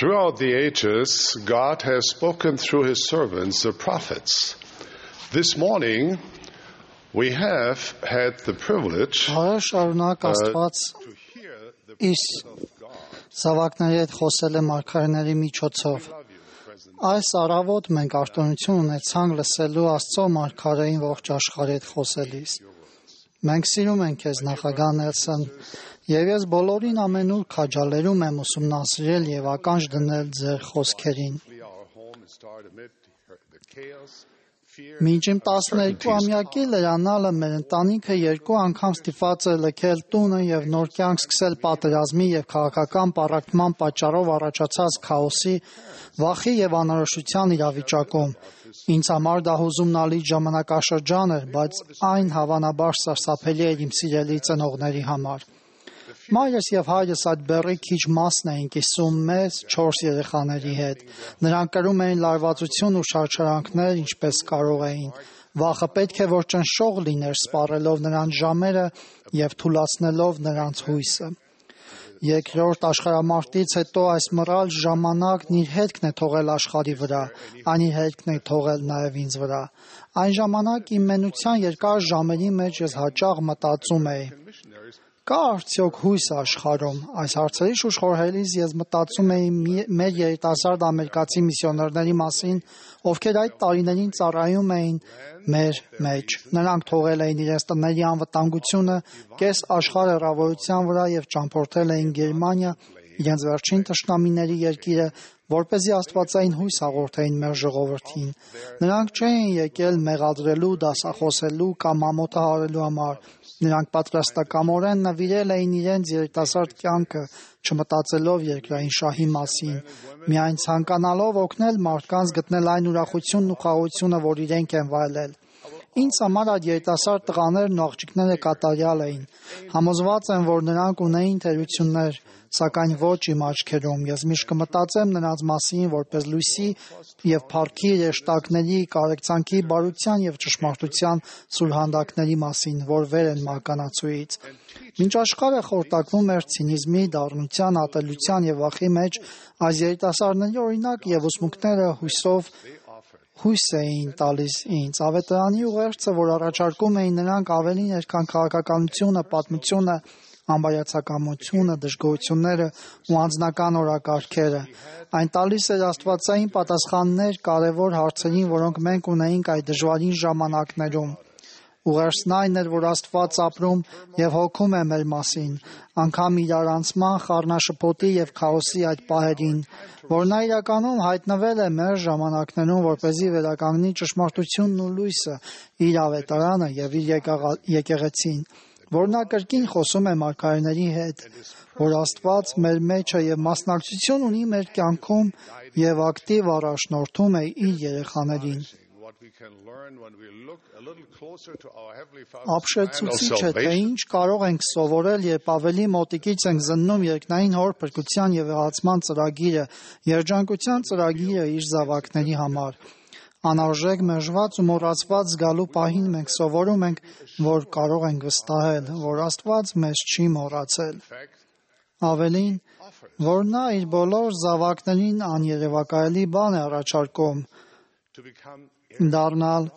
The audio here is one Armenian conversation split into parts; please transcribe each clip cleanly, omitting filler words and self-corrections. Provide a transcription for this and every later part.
Throughout the ages, God has spoken through His servants, the prophets. This morning, we have had the privilege Շարունակ Աստված to hear the Իր զավակների հետ խոսել է մարգարեների միջոցով։ Այս առավոտ մենք արտոնություն ունեցանք լսելու Աստծո մարգարեին ողջ աշխարհի հետ խոսելիս։ Մենք սիրում ենք քեզ նախագահ Նելսոն, եւ ես բոլորին ամենուր քաջալերում եմ ուսումնասիրել եւ ականջ դնել ձեր խոսքերին։ our home and start amid the chaos, fear, Մինչ իմ 12-ամյակի լրանալը մեր ընտանիքը 2 անգամ ստիպված է լքել տունը եւ նոր կյանք սկսել պատերազմի եւ քաղաքական պառակտման պատճառով առաջացած քաոսի, վախի եւ անորոշության իրավիճակում։ Ինձ համար դա հուզումնալի ժամանակաշրջան էր, բայց այն հավանաբար սարսափելի էր իմ սիրելի ծնողների համար։ Մայրս եւ հայրս այդ բեռի քիչ մասն էին կիսում մեզ 4 երեխաների հետ։ Նրանք կրում էին լարվածություն ու շարժարանքներ, ինչպես կարող էին։ Վախը պետք է որ ճնշող լիներ, սպառելով նրանց ժամերը եւ թուլացնելով նրանց հույսը։ Երկրորդ աշխարհամարտից հետո այս մռայլ ժամանակն իր հետքն է թողել աշխարհի վրա, այն իր հետքն է թողել նաեւ ինձ վրա։ Այն ժամանակ իմ մենության երկար ժամերի մեջ ես հաճախ մտածում էի. Կա արդյոք հույս աշխարհում։ Այս հարցերի շուրջ խորհելիս ես մտածում էի մեր երիտասարդ ամերիկացի միսիոներների մասին, ովքեր այդ տարիներին ծառայում էին մեր մեջ։ Նրանք թողել էին իրենց տների անվտանգությունը կես աշխարհ հեռավորության վրա եւ ճամփորդել էին Գերմանիա, իրենց վերջին թշնամիների երկիրը, որպեսզի աստվածային հույս հաղորդեին մեր ժողովրդին։ Նրանք չէին եկել մեղադրելու, դասախոսելու կամ ամոթը հարելու համար։ Նրանք պատրաստակամորեն նվիրել էին իրենց երիտասարդ կյանքը, չմտածելով երկրային շահի մասին, միայն ցանկանալով օգնել մարդկանց գտնել այն ուրախությունն ու խաղաղությունը, որ իրենք են վայելել։ Ինձ համար այդ երիտասարդ տղաներն ու աղջիկները կատարյալ էին։ Համոզված եմ, որ նրանք ունեին թերություններ, սակայն ոչ իմ աչքերում։ Ես միշտ կմտածեմ նրանց մասին որպես լույսի եւ փառքի երեշտակների, կարեկցանքի, բարության եւ ճշմարտության սուրհանդակների մասին, որ վեր են մականացուից։ Մինչ աշխարհը խորտակվում էր ցինիզմի, դառնության, ատելության եւ վախի մեջ, այս երիտասարդների օրինակ եւ ուսմունքները հույս էին տալիս ինձ։ Ավետարանի ուղերձը, որ առաջարկում էին նրանք ավելին էր, քան քաղաքականությունը, պատմությունը, անբարյացակամությունը, դժգոհությունները ու անձնական օրակարգերը։ Այն տալիս էր աստվածային պատասխաններ կարևոր հարցերին, որոնք մենք ունեինք այդ դժվարին ժամանակներում։ Ուղերձն այն էր, որ Աստված ապրում եւ հոգում է մեր մասին, անգամ իրարանցման, խառնաշփոթի եւ քաոսի այդ պահերին, որ նա իրականում հայտնվել է մեր ժամանակներում, որպեսզի վերականգնի ճշմարտությունն ու լույսը, իր ավետարանը եւ իր եկեղեցին, որ նա կրկին խոսում է մարգարեների հետ, որ Աստված մեր մեջը եւ մասնակցություն ունի մեր կյանքում եւ ակտիվ առաջնորդում է իր երեխաներին։ Ապշեցուցիչ է, թե ինչ կարող ենք սովորել, երբ ավելի մոտիկից ենք զննում երկնային հոր փրկության եւ եղացման ծրագիրը, երջանկության ծրագիրը իր զավակների համար։ Անարժեք մերժված ու մոռացված զգալու պահին մենք սովորում ենք, որ կարող ենք վստահել, որ Աստված մեզ չի մոռացել։ Ավելին, որ նա իր բոլոր զավակներին աներևակայելի բան է առաջարկում դառնալ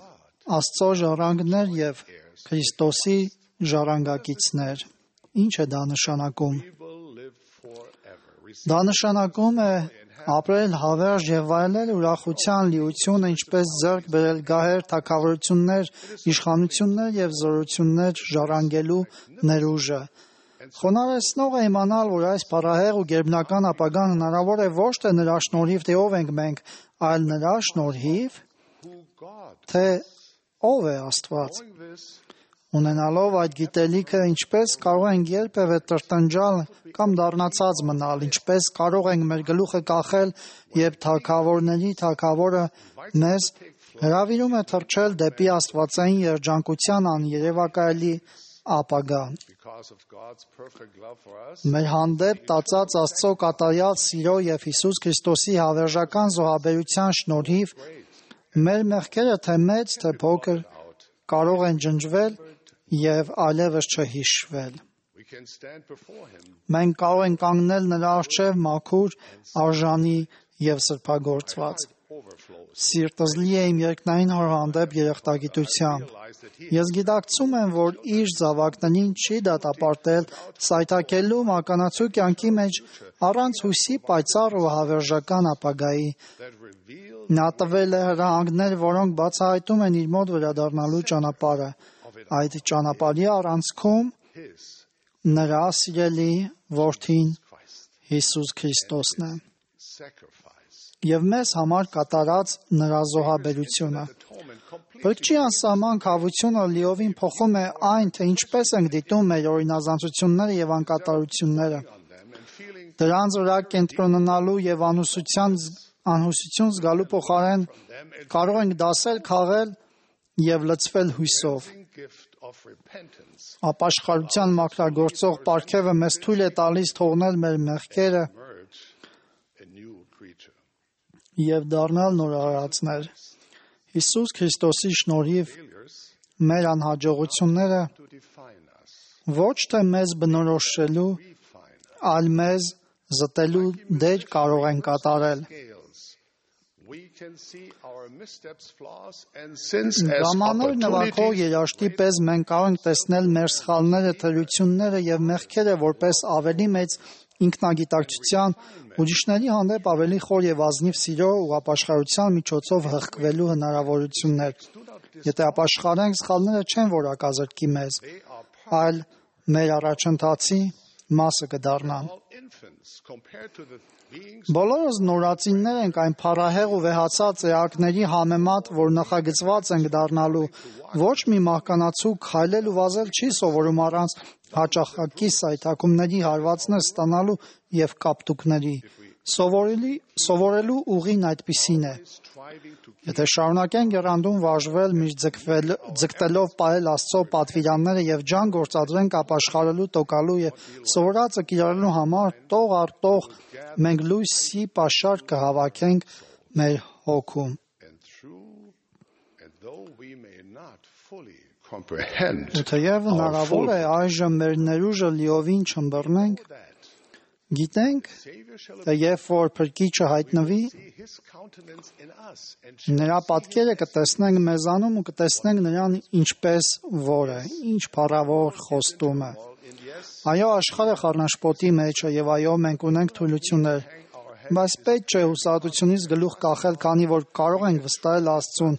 Աստծո ժառանգներ եւ Քրիստոսի ժառանգակիցներ։ Ինչ է դա նշանակում։ Դա նշանակում է ապրել հավերժ եւ վայելել ուրախության լիությունը, ինչպես ձեռք բերել գահեր, թագավորություններ, իշխանություններ եւ զորություններ ժառանգելու ներուժը։ Խոնարհեցնող է իմանալ, որ այս փառահեղ ու գերբնական ապագան հնարավոր է ոչ թե նրա շնորհիվ, թե ով ենք մենք, այլ նրա շնորհիվ, թե ով է Աստված։ Ունենալով այդ գիտելիքը, ինչպես կարող ենք երբևէ տրտնջալ կամ դառնացած մնալ, ինչպես կարող ենք մեր գլուխը կախել, երբ թագավորների թագավորը մեզ հրավիրում է թռչել դեպի աստվածային երջանկության աներևակայելի ապագա։ Մեր հանդեպ տածած Աստծո կատարյալ սիրո եւ Հիսուս Քրիստոսի հավերժական զոհաբերության շնորհիվ մեր մեղքերը թե մեծ, թե փոքր կարող են ջնջվել եւ այլևս չհիշվել։ can stand before him Մենք կարող ենք կանգնել նրա առջև մաքուր, արժանի եւ սրբագործված։ overflows. Սիրտս լի է իմ երկնային հոր հանդեպ երախտագիտությամբ։ Ես գիտակցում եմ, որ իր զավակներին չի դատապարտել սայթաքելու մականացու կյանքի մեջ առանց հույսի պայծառ ու հավերժական ապագայի։ That reveal Նա տվել է հրահանգներ, որոնք բացահայտում են իր մոտ վերադառնալու ճանապարհը։ Այդ ճանապարհի առանցքում his նրա սիրելի որդին Christ Հիսուս Քրիստոսն է sacrifice. եւ մեզ համար կատարած նրա զոհաբերությունը։ Atonement complete Բրկչի անսահման քավությունը լիովին փոխում է այն, թե ինչպես ենք դիտում մեր օրինազանցությունները եւ անկատարությունները։ on them and feeling Դրանց վրա կենտրոնանալու եւ անհուսություն զգալու փոխարեն կարող ենք դասել քաղել եւ լցվել հույսով։ gift of repentance Ապաշխարության մաքրագործող պարգևը մեզ թույլ է տալիս թողնել մեր մեղքերը merge a new creature. եւ դառնալ նորարարածներ։ Հիսուս Քրիստոսի շնորհիվ Failures մեր անհաջողությունները to define us, ոչ թե մեզ բնորոշելու, refine us. այլ մեզ զտելու դեր կարող են կատարել։ Scales. We can see our missteps, flaws, and sins as Գամանոր նվագող opportunities երաշտի պես մենք կարող ենք տեսնել մեր սխալները, թերությունները եւ մեղքերը որպես ավելի մեծ ինքնագիտակցության, ուրիշների հանդեպ ավելի խոր եւ ազնիվ սիրո ու ապաշխարության միջոցով հղկվելու հնարավորություններ։ Եթե ապաշխարենք, սխալները չեն որակազրկի մեզ, այլ մեր առաջընթացի մասը կդառնան։ all infants compared to the beings Բոլորս նորածիններ ենք այն փառահեղ ու վեհացած էակների համեմատ, որ նախագծված ենք դառնալու։ Ոչ մի մահկանացու քայլել ու վազել չի սովորում առանց հաճախակի սայթաքումների հարվածներ ստանալու եւ կապտուկների։ Սովորելու ուղին այդպիսին է։ striving to Եթե շարունակենք եռանդուն վարժվել, միշտ ձգտելով պահել Աստծո պատվիրանները եւ ջան գործադրենք ապաշխարելու, տոկալու եւ սովորածը կիրառելու համար, տող առ տող մենք լույսի պաշար կհավաքենք մեր հոգում։ and though we may not fully comprehend Ու թեև հնարավոր է այժմ մեր ներուժը լիովին չըմբռնենք, that գիտենք, Savior shall թե երբ որ Փրկիչը հայտնվի, see his countenance in us and նրա պատկերը կտեսնենք մեզանում ու կտեսնենք նրան ինչպես որ է, ինչ փառավոր խոստում է։ in yes Այո, աշխարհը խառնաշփոթի մեջ է եւ այո, մենք ունենք թուլություններ, բայց պետք չէ հուսահատությունից գլուխ կախել, քանի որ կարող ենք վստահել Աստծուն,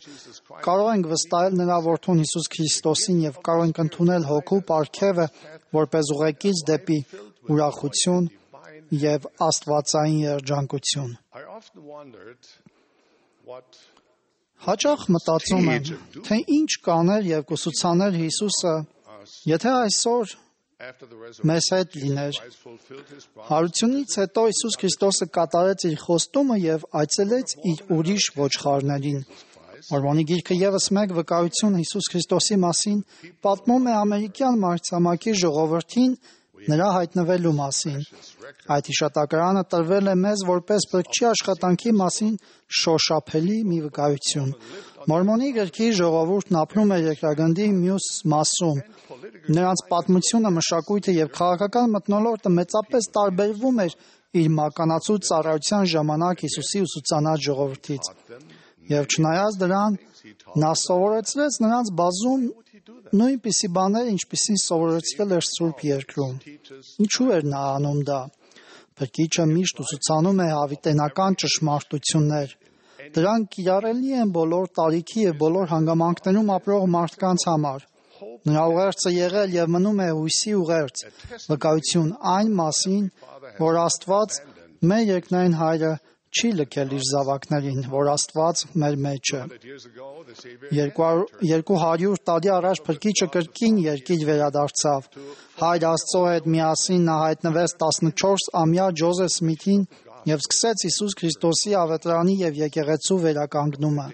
կարող ենք վստահել նրա որդուն Հիսուս Քրիստոսին եւ կարող ենք ընդունել հոգու պարգևը որպես ուղեկից դեպի ուրախություն եւ աստվածային երջանկություն։ I often wondered what Հաճախ մտածում եմ, թե ինչ կաներ եւ կուսուցաներ Հիսուսը, եթե այսօր after the resurrection մեզ հետ լիներ։ Christ fulfilled his promise Հարությունից հետո Հիսուս Քրիստոսը կատարեց իր խոստումը եւ այցելեց իր ուրիշ ոչխարներին։ Մորմոնի գիրքը եւս մեկ վկայություն Հիսուս Քրիստոսի մասին պատմում է ամերիկյան մայրցամաքի ժողովրդին նրա հայտնվելու մասին։ Այդ հիշատակարանը տրվել է մեզ որպես բրկչի աշխատանքի մասին շոշափելի մի վկայություն։ Մորմոնի գրքի ժողովուրդն ապրում է երկրագնդի մյուս մասում։ Նրանց պատմությունը, մշակույթը եւ քաղաքական մթնոլորտը մեծապես տարբերվում էր իր մականացու ծառայության ժամանակ Հիսուսի ուսուցանած ժողովրդից։ Եվ չնայած դրան, նա սովորեցրեց նրանց բազում նույնպիսի բաներ, ինչպիսին սովորեցրել էր Սուրբ Երկրում։ Ինչու էր նա անում դա։ Փրկիչը միշտ ուսուցանում է հավիտենական ճշմարտություններ։ Դրանք կիրառելի են բոլոր տարիքի եւ բոլոր հանգամանքներում ապրող մարդկանց համար։ Նրա ուղերձը եղել եւ մնում է հույսի ուղերձ, վկայություն այն մասին, որ Աստված մեր երկնային Հայրը չի լքել իր զավակներին, որ Աստված մեր մեջ է։ 200 տարի առաջ Փրկիչը կրկին երկիր վերադարձավ։ Հայր Աստծո հետ միասին նա հայտնվեց 14-ամյա Ջոզեֆ Սմիթին եւ սկսեց Հիսուս Քրիստոսի ավետարանի եւ եկեղեցու վերականգնումը։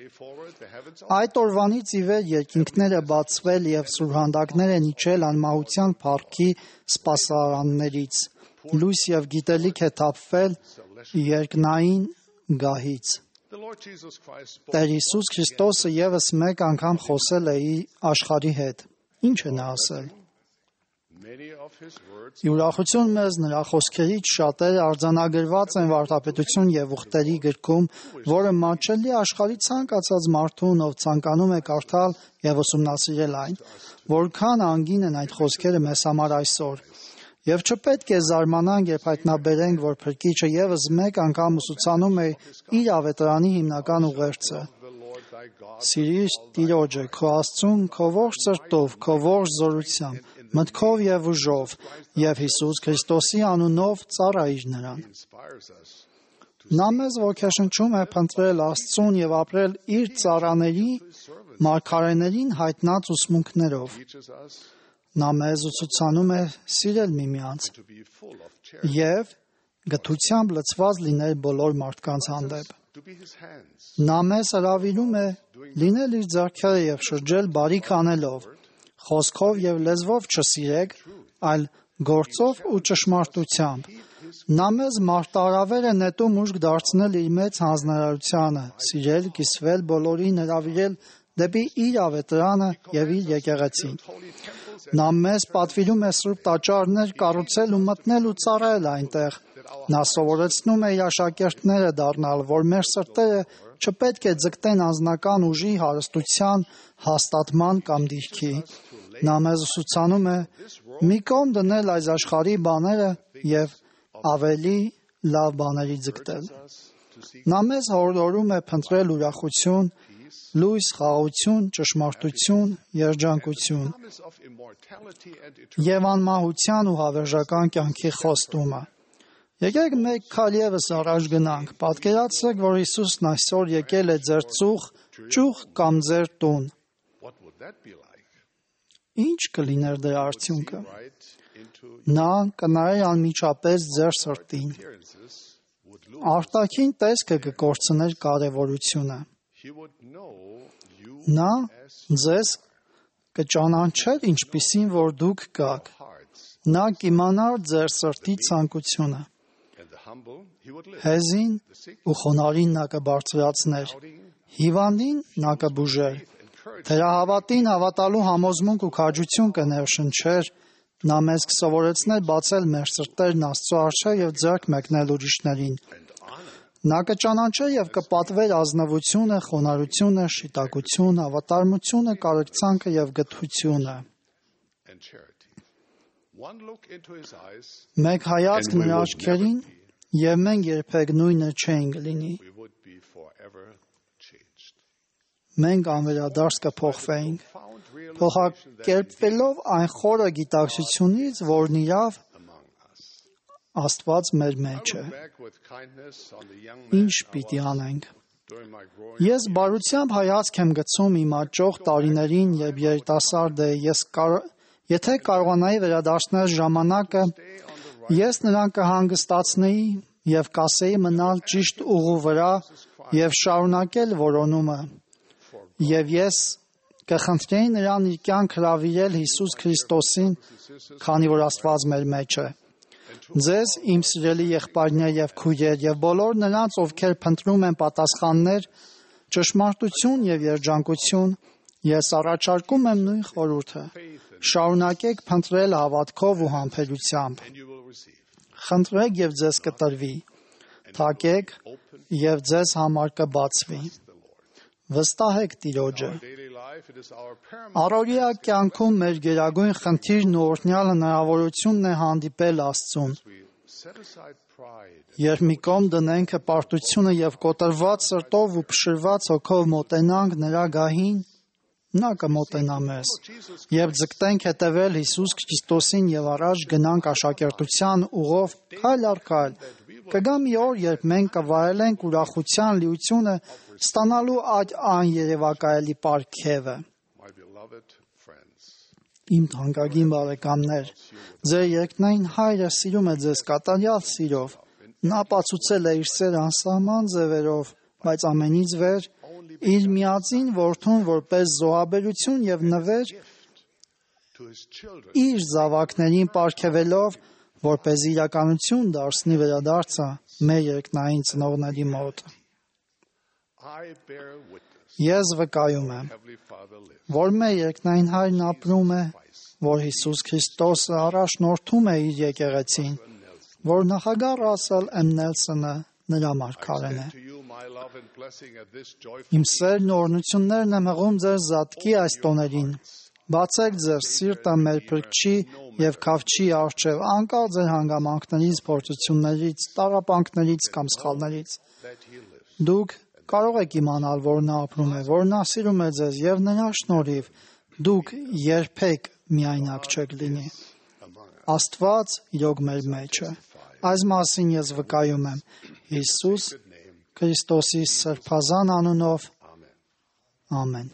Այդ օրվանից ի վեր երկինքները բացվել եւ սուրհանդակներ են իջել անմահության փառքի սպասարաններից։ Լույս եւ գիտելիք է թափվել երկնային գահից։ Տեր Հիսուս Քրիստոսը եւս մեկ անգամ խոսել է աշխարհի հետ։ Ինչ է նա ասել։ Ուրախություն մեզ նրա խոսքերից շատերը արձանագրված են Վարդապետություն եւ ուխտերի գրքում, որը մատչելի աշխարհի ցանկացած մարդուն, ով ցանկանում է կարդալ եւ ուսումնասիրել այն, որքան անգին են այդ խոսքերը մեզ համար այսօր։ Եվ չպետք է զարմանանք, երբ հայտնաբերենք, որ Փրկիչը եւս մեկ անգամ ուսուցանում է իր ավետարանի հիմնական ուղերձը. Սիրիր Տիրոջը, քո Աստծուն, քո ողջ սրտով, քո ողջ զորությամբ, մտքով եւ ուժով, եւ Հիսուս Քրիստոսի անունով ծառայիր նրան։ Նա մեզ ոգեշնչում է փնտրել Աստծուն եւ ապրել իր ծառաների, մարգարեներին հայտնած ուսմունքներով։ Նա մեզ ուսուցանում է սիրել միմյանց եւ գթությամբ լցված լինել բոլոր մարդկանց հանդեպ։ Նա մեզ հրավիրում է լինել իր ձեռքերը եւ շրջել բարիք անելով, խոսքով եւ լեզվով չսիրեք, այլ գործով ու ճշմարտությամբ։ Նա մեզ մարտահրավեր է նետում ուժք դարձնել իր մեծ հանձնարարությանը, սիրել, կիսվել բոլորին, հրավիրել դեպի իր ավետարանը եւ իր եկեղեցին։ Նա մեզ պատվիրում է սուրբ տաճարներ կառուցել ու մտնել ու ծառայել այնտեղ։ Նա սովորեցնում է իր աշակերտները դառնալ, որ մեր սրտերը չպետք է ձգտեն անձնական ուժի, հարստության, հաստատման կամ դիրքի։ Նա մեզ ուսուցանում է մի կողմ դնել այս աշխարհի բաները եւ ավելի լավ բաների ձգտել։ Նա մեզ հորդորում է փնտրել ուրախություն, լույս, խաղաղություն, ճշմարտություն, երջանկություն եւ անմահության ու հավերժական կյանքի խոստումը։ Եկեք մեկ քայլ եւս առաջ գնանք։ Պատկերացրեք, որ Հիսուսն այսօր եկել է ձեր ճյուղ կամ ձեր տուն։ Ինչ կլիներ դրա արդյունքը։ Նա կնայեր անմիջապես ձեր սրտին։ Արտաքին տեսքը կկորցներ կարևորությունը։ Նա ձեզ կճանաչեր ինչպիսին որ դուք կաք։ Նա կիմանար ձեր սրտի ցանկությունը։ Հեզին ու խոնարհին նա կբարձրացներ, հիվանդին նա կբուժեր, թերահավատին հավատալու համոզմունք ու քաջություն կներշնչեր, նա մեզ կսովորեցներ բացել մեր սրտերն Աստծո առջև եւ ձեռք մեկնել ուրիշներին։ Նա կճանաչեր եւ կպատվեր ազնվությունը, խոնարհությունը, շիտակություն, հավատարմությունը, կարեկցանքը եւ գթությունը։ Մեկ հայացք նրա աչքերին եւ մենք երբեք նույնը չենք լինի։ Մենք անվերադարձ կփոխվեինք, փոխակերպվելով այն խորը գիտակցությունից, որն իրավ Աստված մեր մեջ է։ Ինչ պիտի անենք։ Ես բարությամբ հայացք եմ գցում իմ աճող տարիներին, երբ երիտասարդ է, եթե կարողանայի վերադարձնել ժամանակը, ես նրան կհանգստացնեի եւ կասեի մնալ ճիշտ ուղու վրա եւ շարունակել որոնումը։ Եվ ես կխնդրեի նրան իր կյանք հրավիրել Հիսուս Քրիստոսին, քանի որ Աստված մեր մեջ է։ Ձեզ, իմ սիրելի եղբայրներ եւ քույրեր, եւ բոլոր նրանց, ովքեր փնտրում են պատասխաններ, ճշմարտություն եւ երջանկություն, ես առաջարկում եմ նույն խորհուրդը. շարունակեք փնտրել հավատքով ու համբերությամբ։ Խնդրեք եւ ձեզ կտրվի։ Թակեք եւ ձեզ համար կբացվի։ Վստահեք Տիրոջը։ Առօրյա կյանքում մեր գերագույն խնդիրն ու օրհնյալ հնարավորությունն է հանդիպել Աստծուն։ Երբ մի կողմ դնենք հպարտությունը եւ կոտրված սրտով ու փշրված հոգով մոտենանք նրա գահին, նա կմոտենա մեզ։ Երբ ձգտենք հետևել Հիսուս Քրիստոսին եւ առաջ գնանք աշակերտության ուղով քայլ առ քայլ, կգա մի օր, երբ մենք կվայելենք ուրախության լիությունը ստանալու այդ աներևակայելի պարգևը։ Իմ թանկագին բարեկամներ, ձեր երկնային Հայրը սիրում է ձեզ կատարյալ սիրով։ Նա ապացուցել է իր սերը անսահման ձևերով, բայց ամենից վեր իր միածին որդուն որպես զոհաբերություն եւ նվեր իր զավակներին պարգևելով, որպես իրականություն դարձնի վերադարձը մեր երկնային ծնողների մոտ։ Ես վկայում եմ, որ մեր երկնային Հայրն ապրում է որ Հիսուս Քրիստոսը առաջնորդում է իր եկեղեցին, որ նախագահ Ռասել M. Նելսոնը նրա մարգարեն է։ Իմ սերն ու օրհնություններն եմ հղում ձեր զատկի այս տոներին։ Բացեք ձեր սիրտը մեր փրկչի և քավչի առջև անկախ ձեր հանգամանքներից, փորձություններից, տառապանքներից կամ սխալներից։ Դուք կարող եք իմանալ, որ նա ապրում է, որ նա սիրում է ձեզ և նրա շնորհիվ դուք երբեք միայնակ չեք լինի։ Աստված իրոք մեր մեջ է։ Այս մասին ես վկայում եմ Հիսուս Քրիստոսի սրբազան անունով։ Ամեն։